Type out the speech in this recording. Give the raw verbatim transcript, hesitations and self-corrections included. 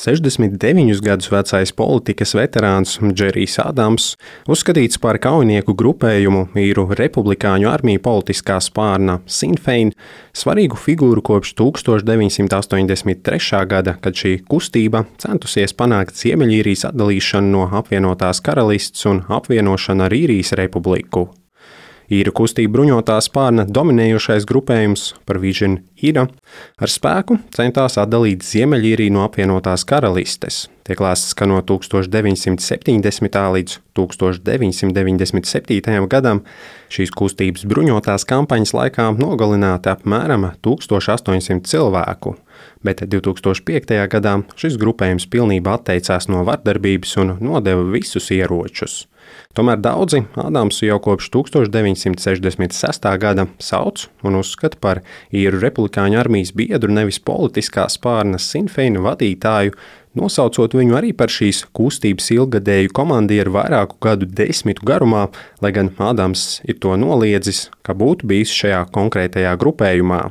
sešdesmit deviņus gadus vecais politikas veterāns Džerijs Adams, uzskatīts par kaujinieku grupējumu īru republikāņu armiju politiskā spārna Sinn Fein, svarīgu figūru kopš tūkstoš deviņsimt astoņdesmit trešā gada, kad šī kustība centusies panākt Ziemeļīrijas atdalīšanu no apvienotās karalists un apvienošanu ar Īrijas republiku. Īru kustība bruņotā spārna dominējošais grupējums par Vision Ira ar spēku centās atdalīt Ziemeļīriju no apvienotās karalistes. Tiek lēsts, ka no tūkstoš deviņsimt septiņdesmitā līdz tūkstoš deviņsimt deviņdesmit septītajam gadam šīs kustības bruņotās kampaņas laikā nogalināti apmēram tūkstoš astoņsimt cilvēku, bet divtūkstoš piektajā gadā šis grupējums pilnībā atteicās no vardarbības un nodeva visus ieročus. Tomēr daudzi Adamsu jau kopš tūkstoš deviņsimt sešdesmit sestā gada sauc un uzskata par īru republikāņu armijas biedru, nevis politiskā spārna Sinn Fein vadītāju, nosaucot viņu arī par šīs kustības ilggadēju komandieru vairāku gadu desmitu garumā, lai gan Adams ir to noliedzis, ka būtu bijis šajā konkrētajā grupējumā.